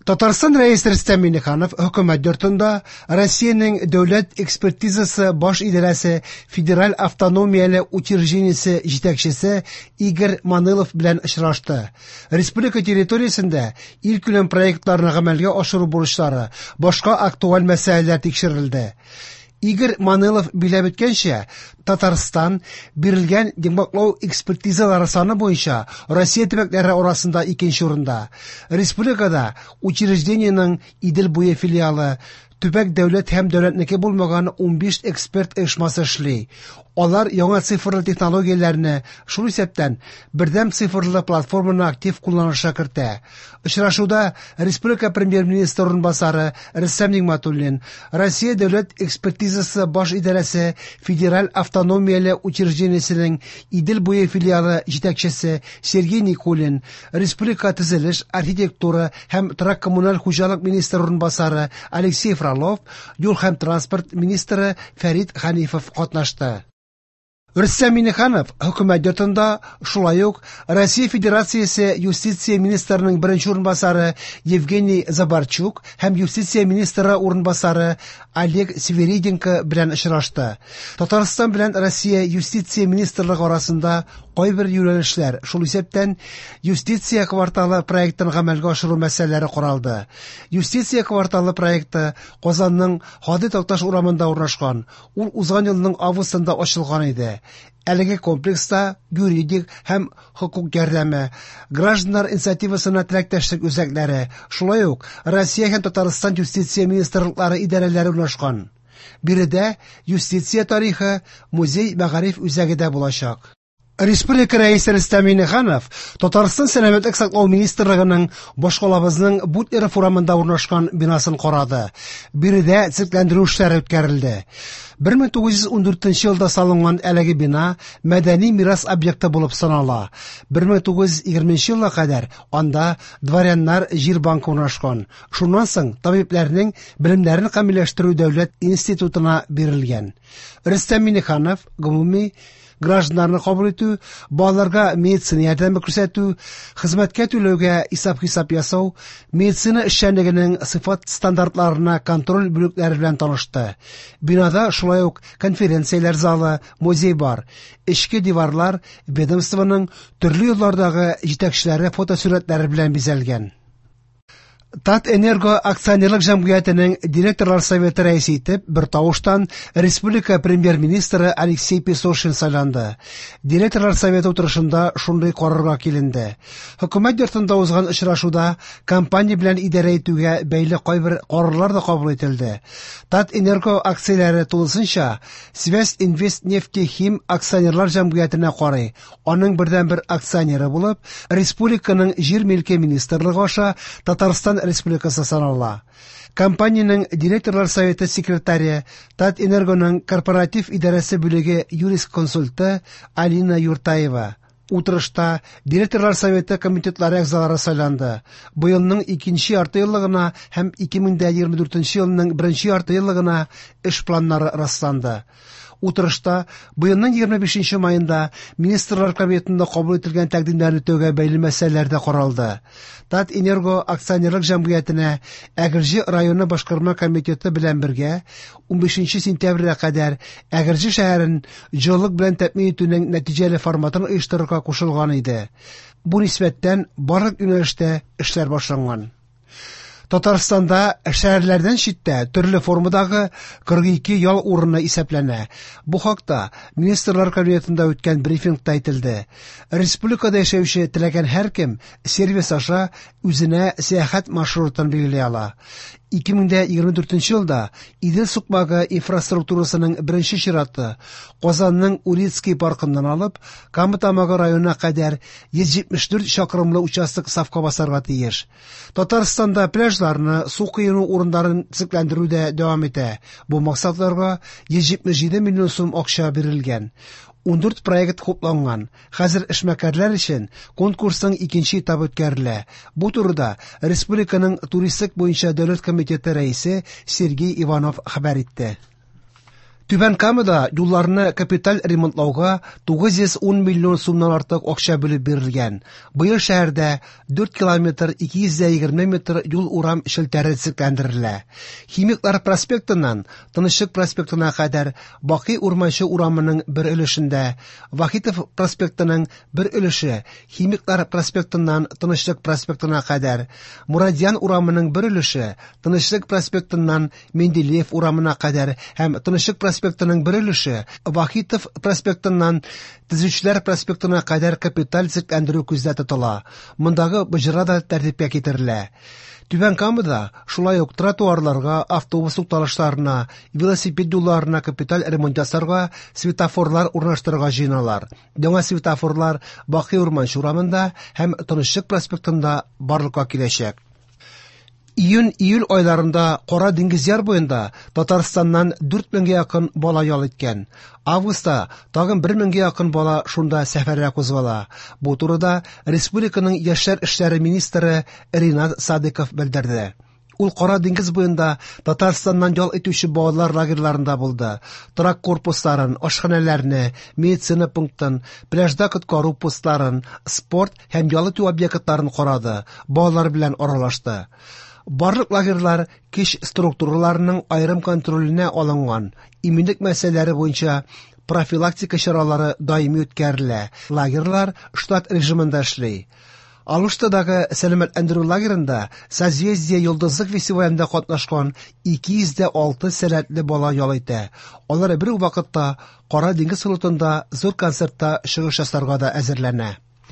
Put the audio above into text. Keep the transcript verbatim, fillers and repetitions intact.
Татарстан Рәисе Рөстәм Миңнеханов Хөкүмәт йортында Россиянең Дәүләт экспертизасы баш идарәсе федераль автономияле учреждениесе җитәкчесе Игорь Манылов белән очрашты. Республика территориясендә илкүләм проектларны гамәлгә ашыру бурычлары, башка актуаль мәсьәләләр тикшерелде. Игорь Манылов биләп үткәнчә, Татарстан бирелгән йомгаклау экспертизалары саны буенча Россия төбәкләре арасында икенче урында. Республикада учреждениенең Идел буе филиалы, төбәк дәүләт һәм дәүләтнеке булмаган унбиш эксперт оешмасы эшли. Алар яңа цифрлы технологияләрне, шул исәптән бердәм цифрлы платформаны актив кулланышка кертә. Очрашуда республика премьер-министры урынбасары Рөстәм Нигъмәтуллин, Россия дәүләт экспертизасы баш идарәсе федераль автономияле учреждениесенең Идел буе филиалы җитәкчесе Сергей Никулин, республика төзелеш, архитектура һәм торак-коммуналь хуҗалык министры урынбасары Алексей Фролов, юл һәм транспорт министры Фәрит Ханифов катнашты. Рөстәм Миңнеханов Хөкүмәт йортында шулай ук Россия Федерациясе юстиция министрының беренче урынбасары Евгений Забарчук һәм юстиция министры урынбасары Олег Свириденко белән очрашты. Татарстан белән Россия юстиция министрлыгы арасында кайбер юнәлешләр, шул исәптән юстиция кварталы проектын гамәлгә ашыру мәсьәләләре каралды. Юстиция кварталы проекты Казанның Һади Такташ урамында урнашкан. Ул узган елның августында ачылган иде. Әлеге комплекста юридик һәм хокук ярдәме, гражданнар инициативасына теләктәшлек үзәкләре, шулай ук Россия һәм Татарстан юстиция министрлыклары идарәләре урнашкан. Биредә юстиция тарихы музей мәгариф үзәге дә булачак. Республика Рәисе Рөстәм Миңнеханов Татарстан Сәламәтлек саклау министрлыгының башкалабызның Бутлеров урамында урнашкан бинасын карады. Биредә төзекләндерү эшләре үткәрелде. бер мең тугыз йөз ундүртенче елда салынган әлеге бина мәдәни мирас объекты булып санала. бер мең тугыз йөз егерменче елга кадәр анда дворяннар җир банкы урнашкан. Шуннан соң табибләрнең белемнәрен камилләштерү дәүләт институтына бирелгән. Рөстәм Миңнеханов гомуми гражданнарны кабул итү, балаларга медицина ярдәме күрсәтү, хезмәткә түләүгә исәп-хисап ясау, медицина эшчәнлегенең сыйфат стандартларына контроль бүлекләре белән танышты. Бинада шулай ук конференцияләр залы, музей бар. Эчке диварлар ведомствоның төрле еллардагы җитәкчеләре фотосурәтләре белән бизәлгән. Татэнерго акционерлык җәмгыятенең директорлар советы рәисе итеп бер тавыштан республика премьер-министры Алексей Песошин сайланды. Директорлар советы утырышында шундый карарга киленде. Хөкүмәт йортында узган очрашуда компания белән идарә итүгә бәйле кайбер карарлар да кабул ителде. Татэнерго акцияләре тулысынча Связь Инвест Нефтехим акционерлар җәмгыятенә карый. Аның бердәнбер акционеры булып республиканың җир милке министрлыгы аша Татарстан Республикасы санала. Компаниянең директорлар советы секретаре, Татэнергоның корпоратив идарәсе бүлеге юрисконсульты Алина Юртаева. Утырышта директорлар советы комитетлары әгъзалары сайланды. Быелның икенче ярты еллыгына һәм ике мең дә егерме дүртенче елның беренче ярты еллыгына эш планнары расланды. Утырышта быелның егерме бишенче майында Министрлар Кабинетында кабул ителгән тәкъдимнәрне үтәүгә бәйле мәсьәләләр дә каралды. Татэнерго акционерлык җәмгыятенә Әгерҗе районы башкарма комитеты белән бергә унбишенче сентябрьгә кадәр Әгерҗе шәһәрен җылылык белән тәэмин итүнең нәтиҗәле форматын оештырырга кушылган иде. Бу нисбәттән барлык юнәлештә эшләр башланган. Татарстанда шәһәрләрдән читтә төрле формадагы кырык ике ял урыны исәпләнә. Бу хакта Министрлар Кабинетында үткән брифингта әйтелде. Республикада яшәүче теләгән һәркем сервис аша үзенә сәяхәт маршрутын билгели ала. Ике мең дә егерме дүртенче елда Идел сукмагы инфраструктурасының беренче чираты Казанның Урицкий паркыннан алып Кама Тамагы районына кадәр йөз җитмеш дүрт чакрымлы участок сафка басарга тиеш. Татарстанда пляжларны, су коену урыннарын төзекләндерү дә дәвам итә. Бу максатларга йөз җитмеш җиде миллион сум акча бирелгән. Ундүрт проект хупланган. Хәзер эшмәкәрләр өчен конкурсның икенче этабы үткәрелә. Бу турыда республиканың туристик буенча дәүләт комитеты рәисе Сергей Иванов хәбәр итте. Түбән Камада юлларны капиталь ремонтлауга тугыз йөз ун миллион сумнан артык акча бүлеп бирелгән. Быел шәһәрдә дүрт километр ике йөз егерме метр юл урам челтәре төзекләндерелә. Химиклар проспектыннан Тынычлык проспектына кадәр Бакый Урманчы урамының бер өлешендә, Вахитов проспектының бер өлеше Химиклар проспектыннан Тынычлык проспектына кадәр, Мурадьян урамының бер өлеше Тынычлык проспектыннан Менделеев урамына кадәр һәм Тынычлык проспектының бер өлеше Вахитов проспектыннан Төзүчеләр проспектына кадәр капиталь төзекләндерү күздә тотыла. Мондагы боҗра да тәртипкә китерелә. Түбән Камада шулай ук тротуарларга, автобус тукталышларына, велосипед юлларына капиталь ремонт ясарга, светофорлар урнаштырырга җыеналар. Яңа светофорлар Бакый Урманчы урамында һәм Тынычлык проспектында барлыкка киләчәк. Июнь-июль айларында Кара диңгез яр буенда Татарстаннан дүрт меңгә якын бала ял иткән. Августта тагын бер меңгә якын бала шунда сәфәргә кузгала. Бу турыда республиканың яшьләр эшләре министры Ринат Садыков белдерде. Ул Кара диңгез буенда Татарстаннан ял итүче балалар лагерьларында булды. Торак корпусларын, ашханәләрне, медицина пунктын, пляжда коткару постларын, спорт һәм ял итү объектларын карады, балалар белән аралашты. Барлык лагерьлар көч структураларының аерым контроленә алынган. Иминлек мәсьәләләре буенча профилактика чаралары даими үткәрелә. Лагерьлар штат режимында эшли. Алуштадагы сәламәтләндерү лагерында Созвездие йолдызлык фестивалендә катнашкан ике йөз дә алты сәләтле бала ял итә. Алар бер үк вакытта Кара диңгез флотында зур концертта чыгыш ясарга да әзерләнә.